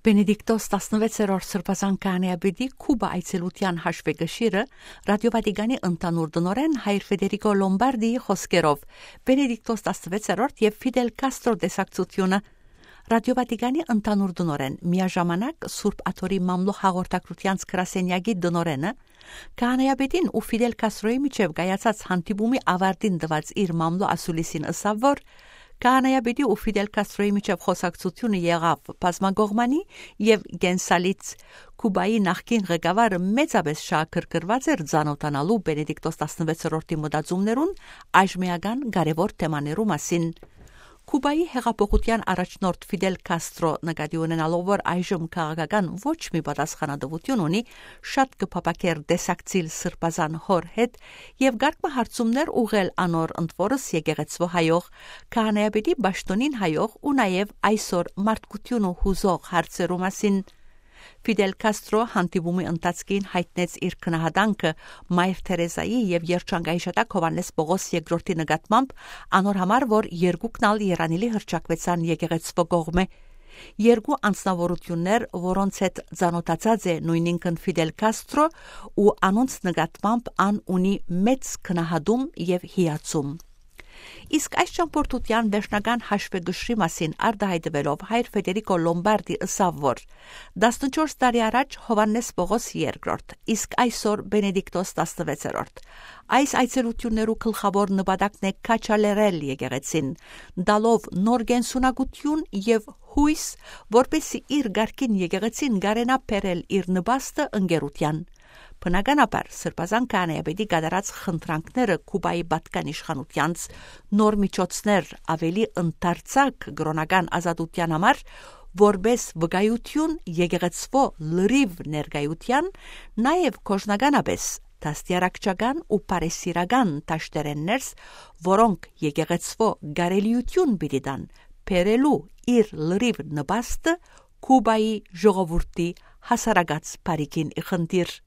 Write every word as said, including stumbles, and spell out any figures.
Բենեդիկտոս տասնվեցերորդ Սրբազան քահանայապետի Քուբա այցելութեան հաշուեկշիռը Ռատիո Վատիկանի ընդհանուր տնօրէն հայր Ֆեդերիկո Լոմբարդիի խօսքերով։ Բենեդիկտոս տասնվեցերորդ եւ Ֆիդել Կաստրո տեսակցությունը։ Ռատիո Վատիկանի ընդհանուր տնօրէն, միաժամանակ Սուրբ Աթոռի մամլոյ հաղորդակցութեանց գրասենեակի տնօրէնը, քահանայապետին ու Ֆիդել Կաստրոյի միջեւ կայացած հանդիպումի աւարտին տուած իր մամլոյ ասուլիսին ըսաւ, որ քահանայապետի ու Ֆիդել Կաստրոյի միջեւ խօսակցութիւնը եղաւ բազմակողմանի եւ կենսալից։ Քուբայի նախկին ղեկավարը մեծապէս շահագրգռուած էր ծանօթանալու Բենեդիկտոս տասնվեցերորդի մտածումներուն այժմեական կարեւոր թեմաներու մասին։ Քուբայի յեղափոխութեան առաջնորդ Ֆիդել Կաստրո, նկատի ունենալով, որ այժմ քաղաքական ոչ մի պատասխանատուութիւն ունի, շատ կը փափաքէր տեսակցիլ սրբազան հօր հետ եւ կարգ մը հարցումներ ուղղել անոր, ընդ որս եկեղեցւոյ հայող, քահանայապետի պաշտօնին հայող ու նաեւ այսօր մարդկութիւնը յուզող հարցերու մասին։ Ֆիդել Կաստրո հանդիպումի ընթացքին յայտնեց իր գնահատանքը Մայր Թերեզայի եւ Երջանկայիշատակ Յովհաննէս Պողոս երկրորդի նկատմամբ, անոր համար, որ երկուքն ալ երանելի հռչակուեցան եկեղեցւոյ կողմէ։ Երկու անձնաւորութիւններ, որոնց հետ ծանօթացած է նոյնինքն Ֆիդել Կաստրո, ու անոնց նկատմամբ ան ունի մեծ գնահատում եւ հիացում։ Իսկ այս ճամբորդութեան վերջնական հաշուեկշիռի մասին արտայայտուելով, հայր Ֆեդերիկո Լոմբարդի ըսաւ, որ տասնչորս տարի առաջ Յովհաննէս Պողոս երկրորդ, իսկ այսօր Բենեդիկտոս տասնվեցերորդ։ Այս այցելութիւններու գլխաւոր նպատակն է քաջալերել եկեղեցին, տալով նոր կենսունակութիւն եւ յոյս, որպէսզի իր կարգին եկեղեցին կարենայ բերել իր նպաստը ընկերութեան։ Բնականաբար, Սրբազան քահանայապետի կատարած խնդրանքները Քուբայի պատկան իշխանութեանց նոր միջոցներ, աւելի ընդարձակ կրօնական ազատութեան համար, որպէս վկայութիւն եկեղեցւոյ լրիւ ներկայութեան, նաեւ կորզնականապէս դաստիարակչական ու բարեսիրական դաշտերէն ներս, որոնք եկեղեցւոյ կարելիութիւն պիտի տան բերելու իր լրիւ նպաստը Քուբայի ժողովուրդի հասարակաց բարիքին ի խնդիր։